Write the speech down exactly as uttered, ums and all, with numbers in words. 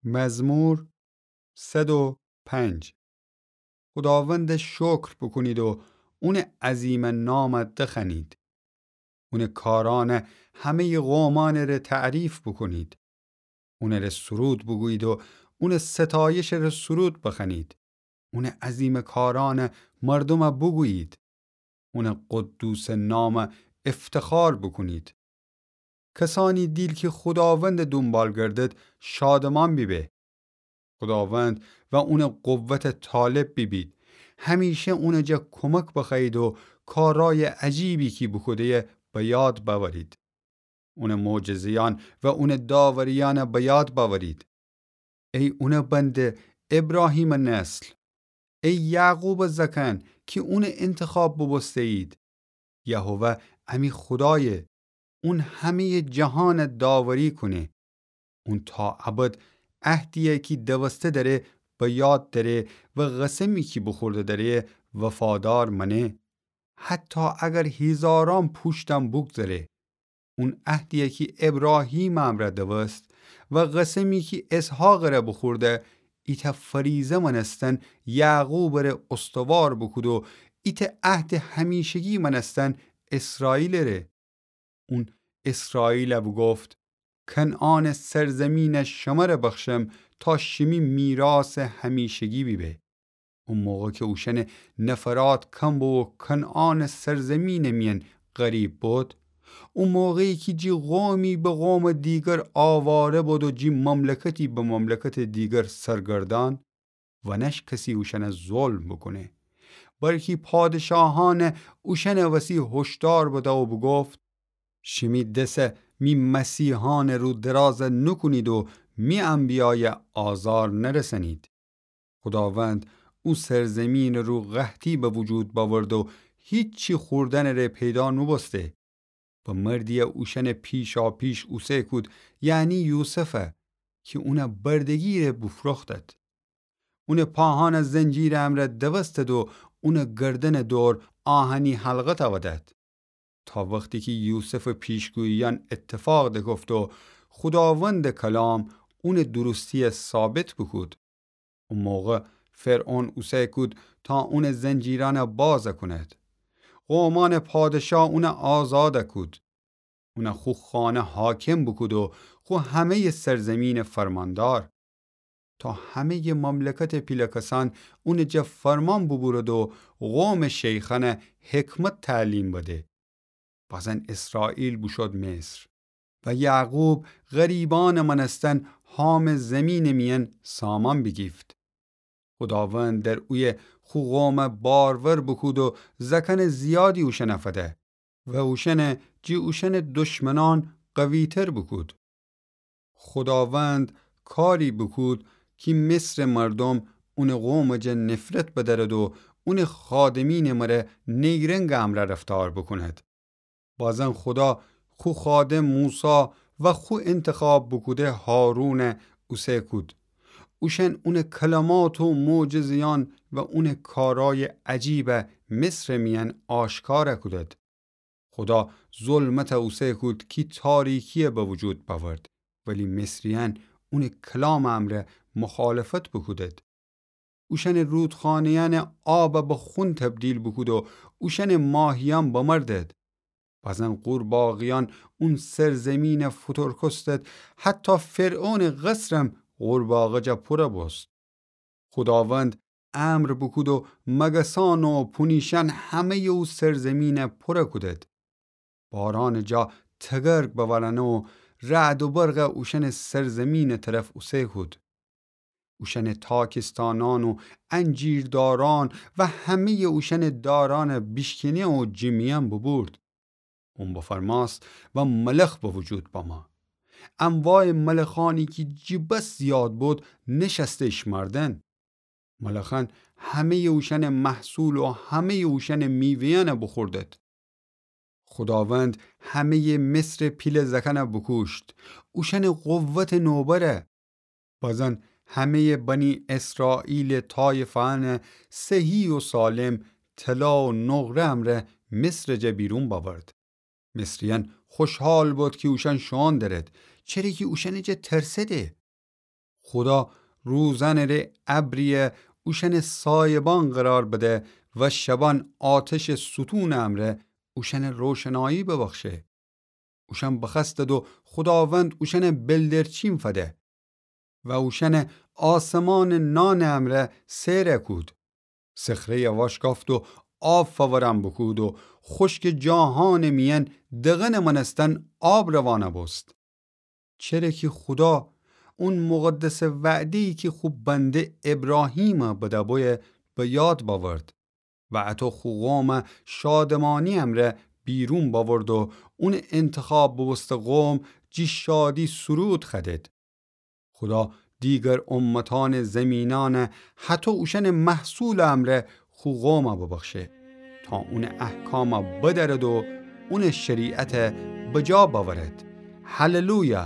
مزمور صد و پنج. خوداوندَ شکر بوکونید و اونٚ عظیمٚ نامَ دخوأنید. اونٚ کارأنَ همه‌یٚ قومأنٚ ره تعریف بوکونید. اونٚ ره سرود بوگویید و اونٚ ستایشٚ ره سرود بخوأنید. اونٚ عظیمٚ کارأنَ مردومَ بوگویید. اونٚ قدوسٚ نامَ افتخار بوکونید. کسأنی دیل کی خوداوندَ دونبال گردد، شادمأن بیبه. خوداوند و اونٚ قوتَ طالب بیبید. همیشه اونٚ جا کمک بخوأیید و کارأیٚ عجیبی کی بوکوده‌یه به یاد بأورید. اونٚ معجزه‌یأن و اونٚ داوری‌یأنَ به یاد بأورید. ای اونٚ بنده، ابراهیمٚ نسل، ای یعقوبٚ زأکأن کی اونَ انتخاب بوبوسته‌یید. یهوه امی خودایه، اون همه‌یٚ جهانَ داوری کونه. اون تا ابد عهدی‌یی کی دوسته دأره به یاد دأره و قسمی کی بوخورده دأره وفادار مأنه، حتی اگر هیزارأن پوشتم بوگذره. اون عهدی‌یی کی ابراهیمٚ امرأ دوست و قسمی کی اسحاقٚ ره بوخورده، ایتأ فریضه مأنستن یعقوبٚ ره استوار بوکود و ایتأ عهدٚ همیشگی مأنستن اسرائیلٚ ره. اون اسرائیلَ بوگفت: کنعانٚ سرزمینَ شمره بخشم تا شیمی میراثٚ همیشگی بیبه. او موقع کی اوشأنٚ نفرات کم بو و کنعانٚ سرزمینٚ میأن غریب بد، او موقعی کی جی قومی به قومٚ دیگر آواره بد و جی مملکتی به مملکتٚ دیگر سرگردأن، ونش کسی اوشأنَ ظلم بوکونه. بلکی پادشاهأنَ اوشأنٚ وسی هشدار بده و بوگفت: شیمی دسَ می مسیحأنٚ رو دراز نوکونید و می انبیایَ آزار نرسأنید. خوداوند او سرزمینٚ رو قحطی به وجود بأورد و هیچی خوردنٚ ره پیدا نوبوسته. به مردی‌یی اوشأنٚ پیشاپیش اوسه کود، یعنی یوسفَ، کی اونَ بردگی ره بوفروختد. اونٚ پاهأنَ زنجیرٚ امرأ دوستد و اونٚ گردنٚ دور آهنی حلقه تأودد. تا وختی کی یوسفٚ پیشگویی‌یأن اتفاق دکفت و خوداوندٚ کلام اونٚ درستی‌یَ ثابت بوکود. او موقع فرعون اوسه کود تا اونٚ زنجیرأنَ باز کند. قومأنٚ پادشاه اونَ آزاد کود. اونَ خو خانه حاکم بوکود و خو همه‌یٚ سرزمینٚ فرماندار. تا همه‌یٚ مملکتٚ پیله کسأن اونٚ جا فرمان بوبورد و قومٚ شیخأنَ حکمت تعلیم بده. بازن اسرائیل بوشود مصر و یعقوب غریبأنٚ مأنستن هامٚ زیمینٚ میأن سامان بیگیفت. خوداوند در اویه خو قومَ بارور بوکود و زأکأنٚ زیادی اوشأنَ فده و اوشأنَ جی اوشأنٚ دشمنأن قوی‌تر بوکود. خوداوند کاری بوکود کی مصرٚ مردوم اونٚ قومٚ جا نفرت بدأرد و اونٚ خادمینٚ مره نیرنگٚ امرأ رفتار بوکوند. بازن خودا خو خادم موسی و خو انتخاب بوکوده هارونَ اوسه کود. اوشأن اونٚ کلمات و معجزه‌یأن و اونٚ کارأیٚ عجیبَ مصرٚ میأن آشکار کودد. خودا ظلمتَ اوسه کود کی تاریکیَ به وجود بأورد، ولی مصریأن اونٚ کلامٚ امرأ مخالفت بوکودد. اوشأنٚ رودخانه‌یأنٚ آبَ به خون تبدیل بوکود و اوشأنٚ ماهیأن بمردد. بازن قورباغه‌یأن اون سرزمینَ فوتورکستد، حتی فرعونٚ قصرم قورباغه جا پورَ بوست. خوداوند امر بوکود و مگسأن و پونیشأن همه‌یٚ او سرزمینَ پورَ کودد. بارأنٚ جا تگرگ بوأرأنه و رعد و برقَ اوشأنٚ سرزمینٚ طرف اوسه کود. اوشأنٚ تاکستانأن و انجیردارأن و همه‌یٚ اوشأنٚ دارأنَ بیشکنه و جٚه میأن بوبورد. اون بفرمأست و ملخ به وجود بمأ. انواعٚ ملخأنی کی جٚه بس زیاد بود، نشأسته اشمأردن. ملخأن همه‌یٚ اوشأنٚ محصول و همه‌یٚ اوشأنٚ میوه‌یأنَ بوخوردد. خوداوند همه‌یٚ مصرٚ پیله زأکأنَ بوکوشت، اوشأنٚ قوتٚ نوبره. بازن همه‌یٚ بنی اسرائیلٚ طایفه‌یأنَ صحیح و سالم طلا و نقره امرأ مصرٚ جا بیرون بأورد. مصریأن خوشحال بود کی اوشأن شوئون درد، چره کی اوشأنٚ جا ترسده. خودا روزأنٚ ره ابریی اوشأنٚ سایبان قرار بده و شبأن آتشٚ ستونٚ امرأ اوشأنٚ روشنایی ببخشه. اوشأن بخوأستد و خوداوند اوشأنٚ بلدرچین فده و اوشأنٚ آسمانٚ نانٚ امرأ سئر کود. صخره‌یی واشکافت و آب فورأن بوکود و خوشکٚ جاهانٚ میأن دقنٚ مأنستن آب روانَ بوست. چره کی خودا اون مقدسٚ وعده‌یی کی خو بنده ابراهیمَ بدأ بویه به یاد بأورد و اطو خو قومَ شادمانی امرأ بیرون بأورد و اونٚ انتخاب بوبوسته قوم جی شادی سرود خوأدید. خودا دیگر امتأنٚ زیمینأنَ هطو اوشأنٚ محصولٚ امرأ خو قومَ ببخشه تا اونٚ احکامَ بدأرد و اونٚ شریعتَ بجا بأورد. هللویا!